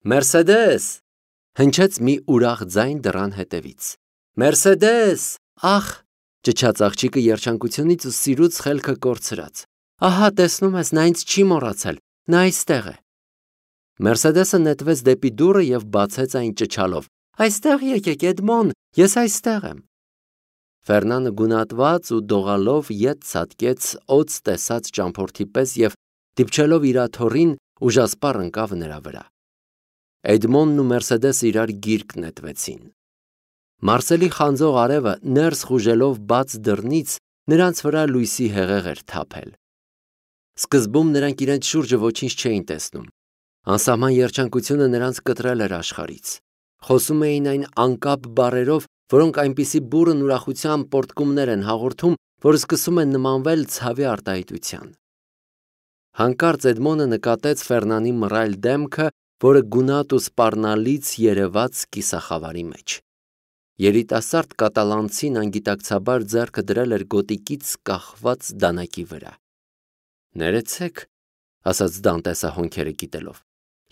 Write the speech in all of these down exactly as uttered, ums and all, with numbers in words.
Մերսեդես, հնչեց մի ուրախ ձայն դռան հետևից։ Մերսեդես, ախ, ճչաց աղջիկը երջանկությունից ու սիրուց խելքը կորցրած։ Ահա, տեսնում ես, նա ինձ չի մոռացել, նա այստեղ է։ Մերսեդեսը նետվեց դեպի դուռը և բացեց այն ճչալով. Այստեղ եկեք, Էդմոն, ես այստեղ եմ։ Ֆերնանը գունատված ու դողալով ետ ցատկեց օձ տեսած ճամփորդի պես և դիպչելով իր աթոռին ուժասպառ ընկավ նրա վրա։ Էդմոնն ու Մերսեդեսը իրար գիրկ նետվեցին։ Մարսելի խանձող արևը ներս խուժելով բաց դռնից նրանց վրա լույսի հեղեղ էր թափել։ Սկզբում նրանք իրենց շուրջը ոչինչ չէին տեսնում։ Անսահման երջանկությունը նրանց կտրել էր աշխարհից։ Խոսում էին այն անկապ բառերով, որոնք այնպիսի բուռն ուրախության պոռթկումներ են հաղորդում, որ սկսում են նմանվել ցավի արտահայտության։ Հանկարծ Էդմոնը նկատեց Ֆերնանի մռայլ դեմքը, որը գունատ ու սպառնալից երևաց կիսախավարի մեջ։ Երիտասարդ կատալանցին անգիտակցաբար ձեռքը դրել էր գոտիկից կախված դանակի վրա։ Ներեցեք, ասաց Դանտեսը հոնքերը կիտելով,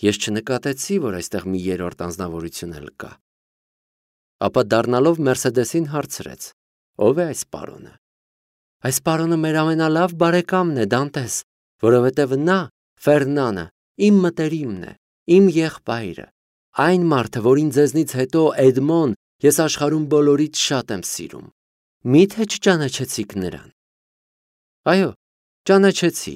ես չնկատեցի, որ այստեղ մի երրորդ անձնավորություն էլ կա։ Ապա դառնալով Մերսեդեսին հարցրեց. Ո՞վ է այս պարոնը։ Այս պարոնը մեր ամենալավ բարեկամն է, Դանտես, որովհետև նա, Ֆերնանը, իմ մտերիմն է, իմ եղբայրը, այն մարդը, որին ձեզնից հետո Էդմոն ես աշխարհում բոլորից շատ եմ սիրում։ Մի՞թե չճանաչեցիք նրան։ Այո, ճանաչեցի,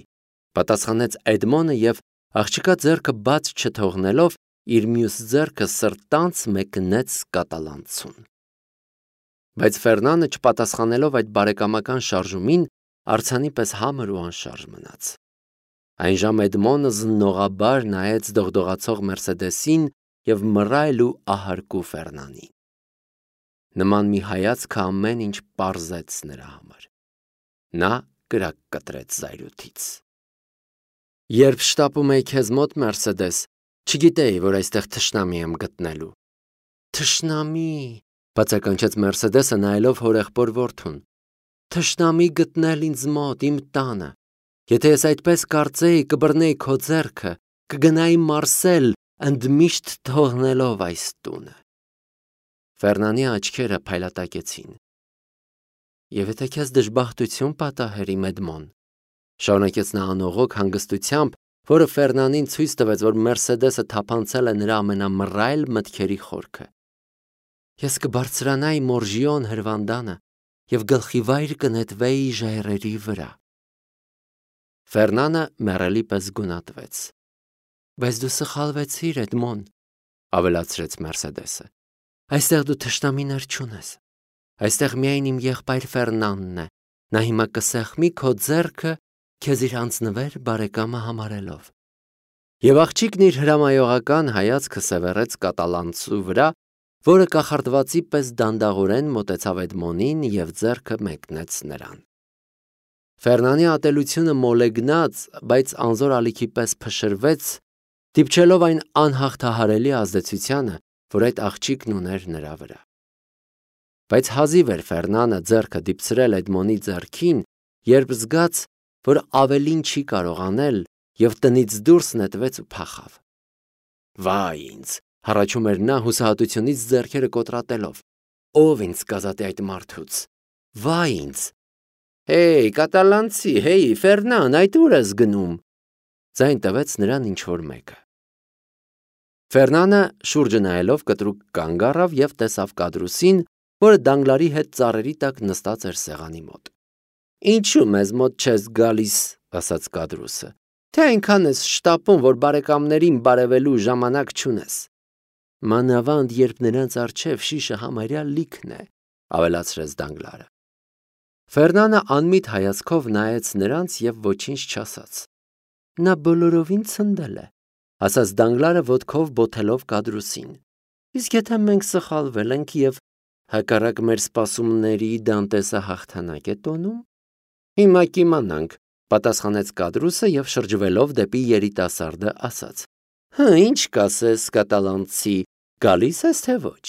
պատասխանեց Էդմոնը և աղջկա ձեռքը բաց չթողնելով իր մյուս ձեռքը սրտանց մեկնեց կատալանցուն։ Բայց Ֆերնանը չպատասխանելով այդ բարեկամական շարժումին, արձանի պես համր ու անշարժ մնաց։ Այն ժամ Էդմոնը զննողաբար նայեց դողդողացող Մերսեդեսին և մռայլ ու ահարկու Ֆերնանին։ Նման մի հայացքը ամեն ինչ պարզեց նրա համար։ Նա կրակ կտրեց զայրույթից։ Երբ շտապում էի քեզ մոտ, Մերսեդես, չգիտեի, որ այստեղ թշնամի եմ գտնելու։ Թշնամի, բացականչեց Մերսեդեսը նայելով հորեղբոր որդուն։ Թշնամի գտնել ինձ մոտ, իմ տանը։ Եթե ես այդպես կարծեի, կբռնեի քո ձեռքը, կգնայի Մարսել, ընդմիշտ թողնելով այս տունը։ Ֆերնանի աչքերը փայլատակեցին։ Եվ եթե քեզ դժբախտություն պատահեր, իմ Էդմոն, շարունակեց նա անողոք հանգստությամբ, որը Ֆերնանին ցույց տվեց, որ Մերսեդեսը թափանցել է նրա ամենամռայլ մտքերի խորքը։ Ես կբարձրանայի Մորժիոն հրվանդանը և գլխիվայր կնետվեի ժայռերի վրա։ Ֆերնանը մեռելի պես գունատվեց։ Բայց դու սխալվեցիր, Էդմոն, ավելացրեց Մերսեդեսը։ Այստեղ դու թշնամիներ չունես։ Այստեղ միայն իմ եղբայր Ֆերնանն է։ Նա հիմա կսեղմի քո ձեռքը, քեզ իր անձնվեր բարեկամը համարելով։ Եվ աղջիկն իր հրամայողական հայացքը սևեռեց կատալանցու վրա, որը կախարդվածի պես դանդաղորեն մոտեցավ Էդմոնին և ձեռքը մեկնեց նրան։ Ֆերնանի ատելությունը մոլեգնած, բայց անզոր ալիքի պես փշրվեց, դիպչելով այն անհաղթահարելի ազդեցությանը, որ այդ աղջիկն ուներ նրա վրա։ Բայց հազիվ էր Ֆերնանը ձեռքը դիպցրել Էդմոնի ձեռքին, երբ զգաց, որ ավելին չի կարող անել, և տնից դուրս նետվեց ու փախավ։ Վայ ինձ, հառաչում էր նա հուսահատությունից ձեռքերը կոտրատելով։ Ո՞վ ինձ կազատի այդ մարդուց։ Վայ ինձ։ Հեյ, կատալանցի, հեյ, Ֆերնան, այդ ուր ես գնում։ Ձայն տվեց նրան ինչ-որ մեկը։ Ֆերնանը շուրջը նայելով կտրուկ կանգ առավ և տեսավ Կադրուսին, որը Դանգլարի հետ ծառերի տակ նստած էր սեղանի մոտ։ Ինչու մեզ մոտ չես գալիս, ասաց Կադրուսը, թե այնքան ես շտապում, որ բարեկամներին բարևելու ժամանակ չունես։ Մանավանդ, երբ նրանց առջև շիշը համարյա լիքն է, ավելացրեց Դանգլարը։ Ֆերնանը անմիտ հայացքով նայեց նրանց և ոչինչ չասաց։ Նա բոլորովին ցնդել է, ասաց Դանգլարը ոտքով բոթելով Կադրուսին։ Իսկ եթե մենք սխալվել ենք և հակառակ մեր սպասումների Դանտեսը հաղթանակ է տոնում։ Հիմա կիմանանք, պատասխանեց Կադրուսը և շրջվելով դեպի երիտասարդը ասաց. Հը, ինչ կասես, կատալանցի, գալիս ես թե ոչ։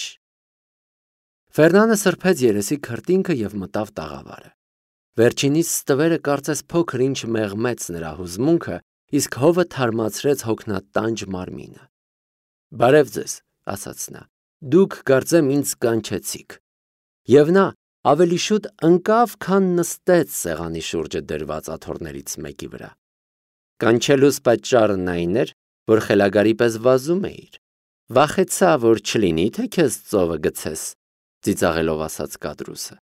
Ֆերնանը սրբեց երեսի քրտինքը և մտավ տաղավարը։ Վերջինիս ստվերը կարծես փոքր ինչ մեղմեց նրա հուզմունքը, իսկ հովը թարմացրեց հոգնատանջ մարմինը։ Բարև ձեզ, ասաց նա, դուք կարծեմ ինձ կանչեցիք։ Եվ նա ավելի շուտ ընկավ, քան նստեց սեղանի շուրջը դրված աթոռներից մեկի վրա։ Կանչելուս պատճառն այն էր, որ խելագարի պես վազում էիր։ Վախեցա, որ չլինի, թե քեզ ծովը գցես, ծիծաղելով ասաց կադրուսը։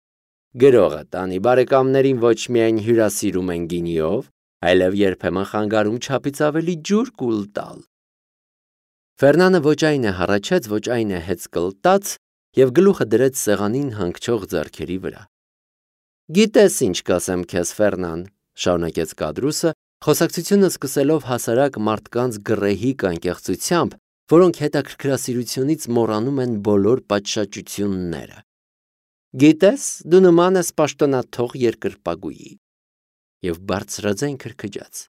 Գրողը տանի բարեկամներին ոչ միայն հյուրասիրում են գինիով, այլև երբեմն խանգարում չափից ավելի ջուր կուլ տալ։ Ֆերնանը ոչ այն է հառաչեց, ոչ այն է հեծ կլտաց և գլուխը դրեց սեղանին հանգչող ձեռքերի վրա։ Գիտես ինչ կասեմ քեզ, Ֆերնան, շարունակեց կադրուսը, խոսակցությունը սկսելով հասարակ մարդկանց գռեհիկ անկեղծությամբ, որոնք հետաքրքրասիրությունից մոռանում են բոլոր պատշաճությունները։ Գիտես, դու նման ես պաշտոնաթող երկրպագուի։ Եվ բարձրաձայն քրքջաց։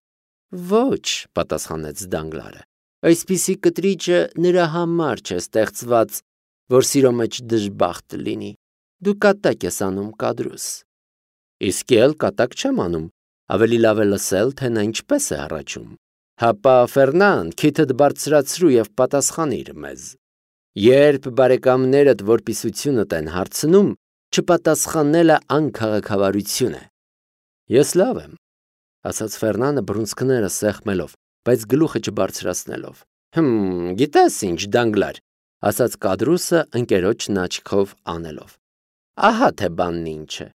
Ոչ, պատասխանեց Դանգլարը, այսպիսի կտրիճը նրա համար չէ ստեղծված, որ սիրո մեջ դժբախտ լինի։ Դու կատակ ես անում, կադրուս։ Իսկ էլ կատակ չեմ անում, ավելի լավ է լսել, թե նա ինչպես է հառաչում։ Հապա, Ֆերնան, քիթդ բարձրացրու և պատասխանիր մեզ։ Երբ բարեկամներդ որպիսությունդ են հարցնում, չպատասխանելը անքաղաքավարություն է։ Ես լավ եմ, ասաց Ֆերնանը բռունցքները սեղմելով, բայց գլուխը չբարձրացնելով։ Հմ, գիտես ինչ, Դանգլար, ասաց կադրուսը ընկերոջն աչքով անելով։ Ահա թե բանն ինչ է։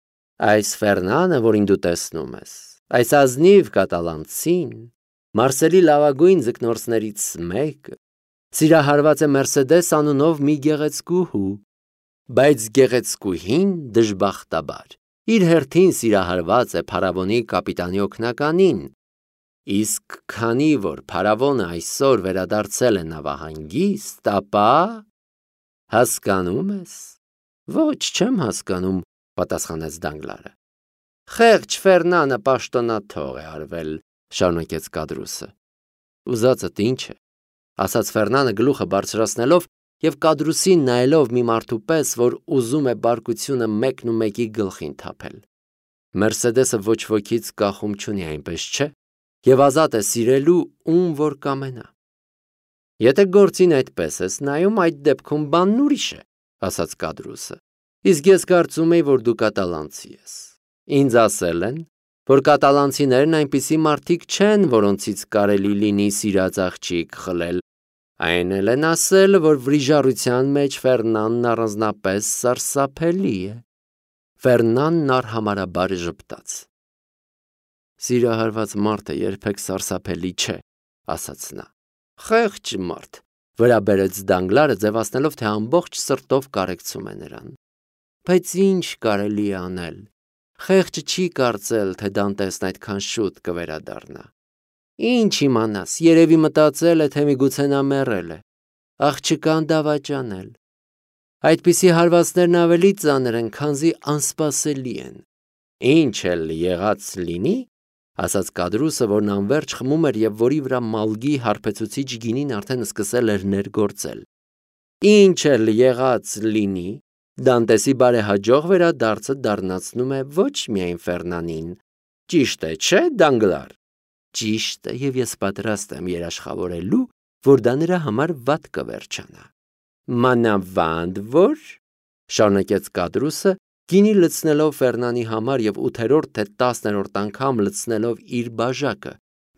Այս Ֆերնանը, որին դու տեսնում ես, այս ազնիվ կատալանցին, Մարսելի լավագույն ձկնորսներից մեկը, սիրահարված է Մերսեդես անունով մի գեղեցկուհու, բայց գեղեցկուհին դժբախտաբար իր հերթին սիրահարված է փարավոնի կապիտանի օգնականին, իսկ քանի որ փարավոնը այսօր վերադարձել է նավահանգիստ, ապա… Հասկանում ես։ Ոչ, չեմ հասկանում, պատասխանեց Դանգլարը։ Խեղճ Ֆերնանը պաշտոնաթող է արվել, շարունակեց կադրուսը։ Ուզածդ ինչ է, ասաց Ֆերնանը գլուխը բարձրացնելով և կադրուսին նայելով մի մարդու պես, որ ուզում է բարկությունը մեկն ու մեկի գլխին թափել։ Մերսեդեսը ոչ ոքից կախում չունի, այնպես չէ, և ազատ է սիրելու, ում որ կամենա։ Եթե գործին այդպես ես նայում, այդ դեպքում բանն ուրիշ է, ասաց կադրուսը։ Իսկ ես կարծում էի, որ դու կատալանցի ես։ Ինձ ասել են, որ կատալանցիներն այնպիսի մարդիկ չեն, որոնցից կարելի լինի սիրած աղջիկ խլել։ Այն էլ են ասել, որ վրիժառության մեջ Ֆերնանն առանձնապես սարսափելի է։ Ֆերնանն արհամարհաբար ժպտաց։ Սիրահարված մարդը երբեք սարսափելի չէ, ասաց նա։ Խեղճ մարդ, վրա բերեց Դանգլարը, ձևացնելով, թե ամբողջ սրտով կարեկցում է նրան։ Բայց ինչ կարելի է անել։ Խեղճը չի կարծել, թե Դանտեսն այդքան շուտ կվերադառնա։ Ինչ իմանաս, երևի մտածել է, թե միգուցե նա մեռել է։ Աղջկան դավաճանել։ Այդպիսի հարվածներն ավելի ծանր են, քանզի անսպասելի են։ Ինչ էլ եղած լինի, ասաց կադրուսը, որն անվերջ խմում էր և որի վրա մալգի հարբեցուցիչ գինին արդեն սկսել էր ներգործել։ Ինչ էլ եղած լինի, Դանտեսի բարեհաջող վերադարձը դառնացնում է ոչ միայն Ֆերնանին։ Ճիշտ է, չէ, Դանգլար։ Ճիշտ է, և ես պատրաստ եմ երաշխավորելու, որ դա նրա համար վատ կվերջանա։ Մանավանդ որ, շարունակեց կադրուսը, գինի լցնելով Ֆերնանի համար և ութերորդ թե տասներորդ անգամ լցնելով իր բաժակը,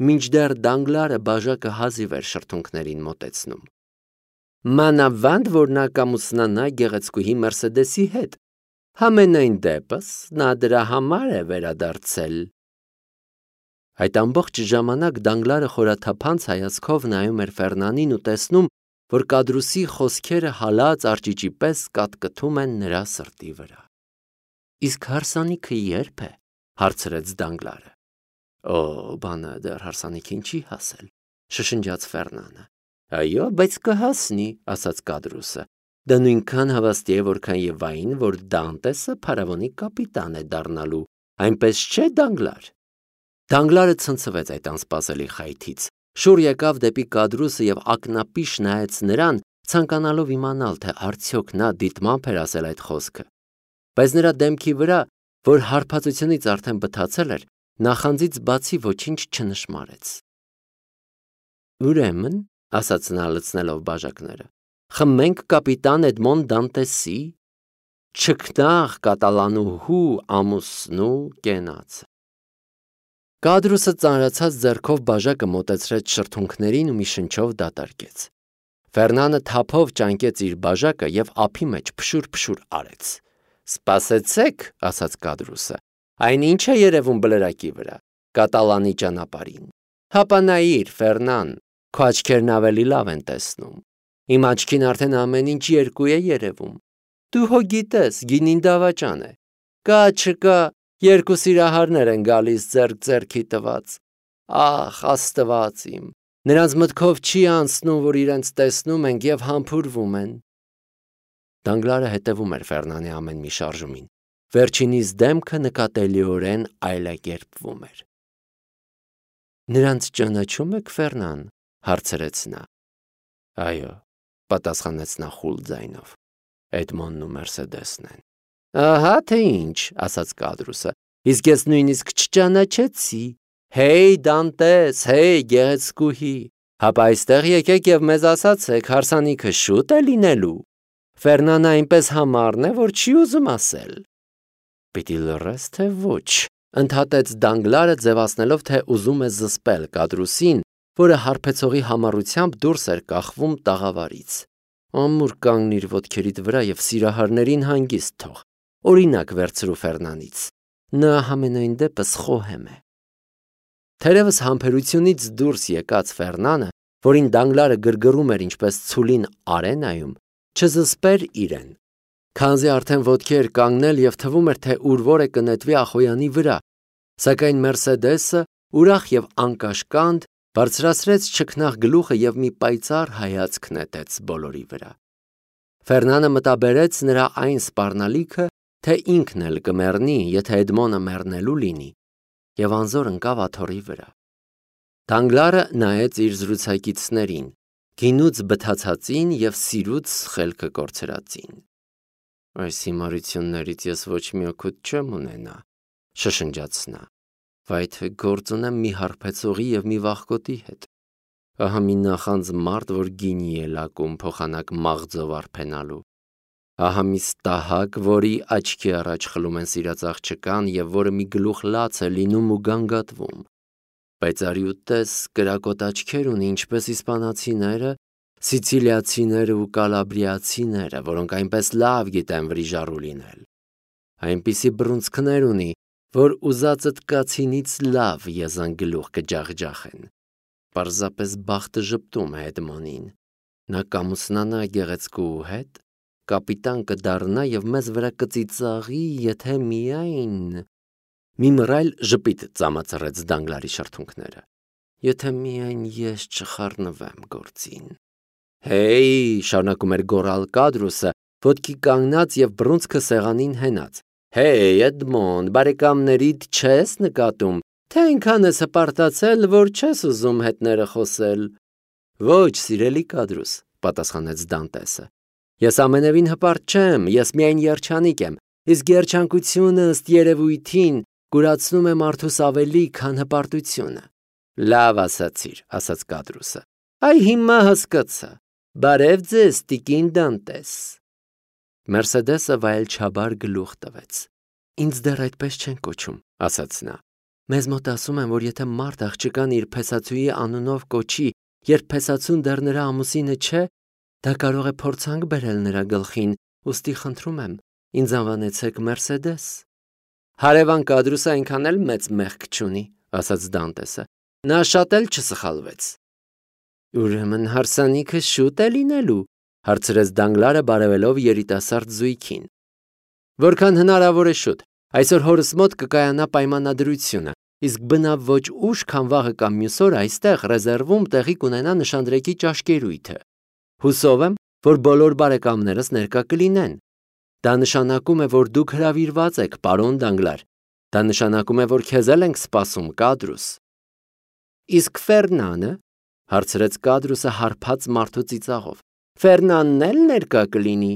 մինչդեռ Դանգլարը բաժակը հազիվ էր շրթունքներին մոտեցնում։ Մանավանդ որ նա կամուսնանա գեղեցկուհի Մերսեդեսի հետ, համենայն դեպս նա դրա համար է վերադարձել։ Այդ ամբողջ ժամանակ Դանգլարը խորաթափանց հայացքով նայում էր Ֆերնանին ու տեսնում, որ կադրուսի խոսքերը հալած արջիճի պես կատկթում են նրա սրտի վրա։ Իսկ հարսանիքը ե՞րբ է, հարցրեց Դանգլարը։ Օ, բանը դեռ հարսանիքին չի հասել, շշնջաց Ֆերնանը։ Այո, բայց կհասնի, ասաց կադրուսը։ Դա նույնքան հավաստի է, որքան եւ այն, որ Դանտեսը փարավոնի կապիտան է դառնալու, այնպես չէ, Դանգլար։ Դանգլարը ցնցվեց այդ անսպասելի խայթից, շուռ եկավ դեպի կադրուսը և ակնապիշ նայեց նրան, ցանկանալով իմանալ, թե արդյոք նա դիտմամբ էր ասել այդ խոսքը։ Բայց նրա դեմքի վրա, որ հարբածությունից արդեն բթացել էր, նախանձից բացի ոչինչ չնշմարեց։ Ուրեմն, ասաց նա լցնելով բաժակները։ Խմենք կապիտան Էդմոն Դանտեսի չքնաղ կատալանուհու ամուսնու կենացը։ Կադրուսը ծանրացած ձեռքով բաժակը մոտեցրեց շրթունքներին ու մի շնչով դատարկեց։ Ֆերնանը թափով ճանկեց իր բաժակը եւ ափի մեջ փշուր-փշուր արեց։ Սպասեցեք, ասաց Կադրուսը, այն ինչ է երևում բլրակի վրա, կատալանի ճանապարհին։ Հապանայիր, Ֆերնան, քո աչքերն ավելի լավ են տեսնում։ Իմ աչքին արդեն ամեն ինչ երկու է երևում։ Դու հո գիտես, գինին դավաճան է։ Կա չկա, երկու սիրահարներ են գալիս ձեռք ձեռքի տված։ Ախ, Աստված իմ, նրանց մտքով չի անցնում, որ իրենց տեսնում ենք եւ համբուրվում են։ Դանգլարը հետևում էր Ֆերնանի ամեն մի շարժումին։ Վերջինիս դեմքը նկատելիորեն այլակերպվում էր։ Նրանց ճանաչում եք, Ֆերնան, հարցրեց նա։ Այո, պատասխանեց նա խուլ ձայնով։ Էդմոնն ու Մերսեդեսն են։ Ահա թե ինչ, ասաց Կադրուսը, իսկ ես նույնիսկ չճանաչեցի։ Հեյ, Դանտես, հեյ, գեղեցկուհի, հապա այստեղ եկեք եւ մեզ ասացեք, հարսանիքը շուտ է լինելու։ Ֆերնանը այնպես համառն է, որ չի ուզում ասել։ Պիտի լռես, թե ոչ, ընդհատեց Դանգլարը, ձևացնելով, թե ուզում է զսպել Կադրուսին, որը հարբեցողի համառությամբ դուրս էր կախվում տաղավարից։ Ամուր կանգնիր ոտքերիդ վրա եւ սիրահարներին հանգիստ թող։ Օրինակ վերցրու Ֆերնանից։ Նա համենայն դեպս խոհեմ է։ Թերևս համբերությունից դուրս եկած Ֆերնանը, որին Դանգլարը գրգռում էր ինչպես ցուլին արենայում, չզսպեր իրեն։ Քանզի արդեն ոտքի էր կանգնել եւ թվում էր, թե ուրվորը կնետվի Ախոյանի վրա, սակայն Մերսեդեսը ուրախ եւ անկաշկանդ բարձրացրեց չքնաղ գլուխը եւ մի պայծառ հայացք նետեց բոլորի վրա։ Ֆերնանը մտաբերեց նրա այն սպառնալիքը, թե ինքն էլ կմեռնի, եթե Էդմոնը մեռնելու լինի, եւ անզոր ընկավ աթոռի վրա։ Դանգլարը նայեց իր զրուցակիցներին, գինուց բթացածին եւ սիրուց խելքը կորցրածին։ Այս հիմարություններից ես ոչ մի օգուտ չեմ ունենա, շշնջաց նա։ Վայ թե գործ ունեմ մի հարբեցողի եւ մի վախկոտի հետ։ Ահա մի նախանձ մարդ, որ գինի է լակում փոխանակ մաղձով արփենալու։ Ահա մի ստահակ, որի աչքի առաջ խլում են սիրած աղջկան եւ որը մի գլուխ լաց է լինում ու գանգատվում։ Բայց արի ու տես, կրակոտ աչքեր ունի, ինչպես իսպանացիները, սիցիլիացիները ու կալաբրիացիները, որոնք այնպես լավ գիտեն վրիժառու լինել։ Այնպիսի բռունցքներ ունի, որ ուզածդ կացինից լավ եզանգլուխ կջախջախեն։ Պարզապես բախտը ժպտում է Էդմոնին։ Նա կամուսնանա գեղեցկու հետ, կապիտան կդառնա եւ մեզ վրա կծիծաղի, եթե միայն… Մի մռայլ ժպիտ ծամացրեց Դանգլարի շրթունքները։ Եթե միայն ես չխառնվեմ գործին։ Հեյ, շարունակում էր գոռալ Կադրուսը, ոտքի կանգնած եւ բռունցքը սեղանին հենած։ Հեյ, Էդմոն, բարեկամներիդ չես նկատում, թե այնքան ես հպարտացել, որ չես ուզում հետները խոսել։ Ոչ, սիրելի Կադրուս, պատասխանեց Դանտեսը։ Ես ամենևին հպարտ չեմ, ես միայն երջանիկ եմ, իսկ երջանկությունը ըստ երևույթին կուրացնում է մարդուս ավելի, քան հպարտությունը։ Լավ ասացիր, ասաց Կադրուսը։ Այ հիմա հասկացա։ Բարև ձեզ, տիկին Դանտես։ Մերսեդեսը վայելչաբար գլուխ տվեց։ Ինձ դեռ այդպես չեն կոչում, ասաց նա։ Մեզ մոտ ասում են, որ եթե մարդ աղջկան իր փեսացուի անունով կոչի, երբ փեսացուն դեռ նրա ամուսինը չէ, դա կարող է փորձանք բերել նրա գլխին, ուստի խնդրում եմ, ինձ անվանեցեք Մերսեդես։ Հարևան Կադրուսը այնքան էլ մեծ մեղք չունի, ասաց Դանտեսը։ Նա շատ էլ չսխալվեց։ Ուրեմն հարսանիքը շուտ է լինելու, հարցրեց Դանգլարը բարևելով երիտասարդ զույգին։ Որքան հնարավոր է շուտ, այսօր հորս մոտ կկայանա պայմանադրությունը, իսկ բնավ ոչ ուշ, քան վաղը կամ մյուս օր այստեղ ռեզերվում տեղի կունենա նշանдрեկի ճաշկերույթը։ Հուսով եմ, որ բոլոր բարեկամներս ներկա կլինեն։ Դա նշանակում է, որ դուք հրավիրված եք, պարոն Դանգլար։ Դա նշանակում է, որ քեզ էլ ենք սպասում, Կադրուս։ Իսկ Ֆերնանը, հարցրեց Կադրուսը հարբած մարդու ծիծաղով։ Ֆերնանն էլ ներկա կլինի։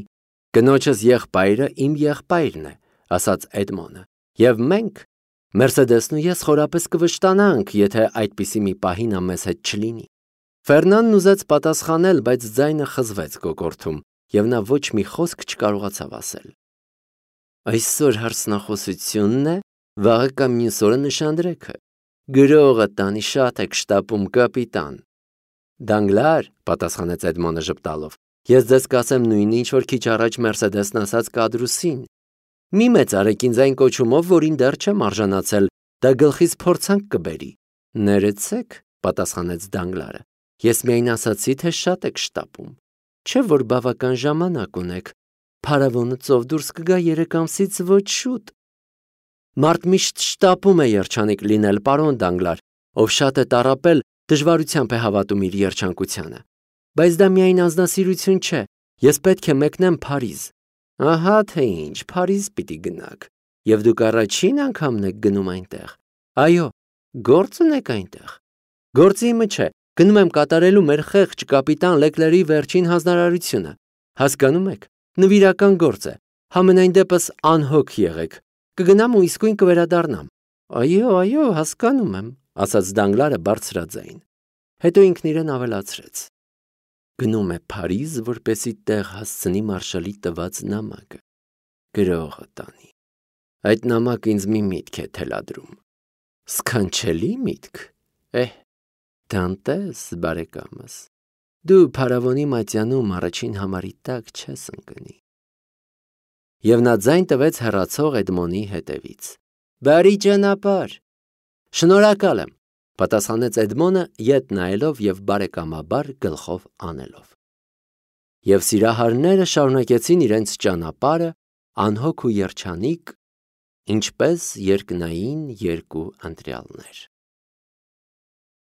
Կնոջս եղբայրը իմ եղբայրն է, ասաց Էդմոնը։ Եվ մենք, Մերսեդեսն ու ես խորապես կվշտանանք, եթե այդպիսի մի պահի նա մեզ հետ չլինի։ Ֆերնանն ուզեց պատասխանել, բայց ձայնը խզվեց կոկորդում, և նա ոչ մի խոսք չկարողացավ ասել։ Այսօր հարցնախոսությունն է, վաղը կամ մյուս օրը նշանդրեքը։ Գրողը տանի շատ եք շտապում, կապիտան։ Դանգլար, պատասխանեց Էդմոնը ժպտալով, ես ձեզ կասեմ նույնը, ինչ որ քիչ առաջ Մերսեդեսն ասաց Կադրուսին։ Մի մեծարեք ինձ այն կոչումով, որին դեռ չեմ արժանացել, դա գլխից փորձանք կբերի։ Ներեցեք, պատասխանեց Դանգլարը, ես միայն ասացի, թե շատ եք շտապում։ Չէ՞ որ բավական ժամանակ ունեք, փարավոնը ծով դուրս կգա երեք ամսից ոչ շուտ։ Մարդ միշտ շտապում է երջանիկ լինել, պարոն Դանգլար, ով շատ է տառապել, դժվարությամբ է հավատում իր երջանկությանը։ Բայց դա միայն անձնասիրություն չէ, ես պետք է մեկնեմ Փարիզ։ Ահա թե ինչ, Փարիզ պիտի գնաք, և դուք առաջին անգամն եք գնում այնտեղ։ Այո, գործ ունեք այնտեղ։ Գործը իմը չէ, գնում եմ կատարելու մեր խեղճ կապիտան Լեկլերի վերջին հանձնարարությունը։ Հասկանում եք, նվիրական գործ է, համենայն դեպս անհոգ եղեք, կգնամ ու իսկույն կվերադառնամ։ Այո, այո, հասկանում եմ, ասաց Դանգլարը բարձրաձայն։ Հետո ինքն իրեն ավելացրեց. Գնում է Փարիզ, որպեսզի տեղ հասցնի մարշալի տված նամակը։ Գրողը տանի։ Այդ նամակը ինձ մի միտք է թելադրում։ Սքանչելի միտք։ Էհ, Դանտես, բարեկամս, դու փարավոնի մատյանում առաջին համարի տակ չես ընկնի։ Եվ նա ձայն տվեց հեռացող Էդմոնի հետևից։ Բարի ճանապարհ։ Շնորհակալ եմ, պատասխանեց Էդմոնը, ետ նայելով և բարեկամաբար գլխով անելով։ Եվ սիրահարները շարունակեցին իրենց ճանապարհը անհոգ ու երջանիկ, ինչպես երկնային երկու ընտրյալներ։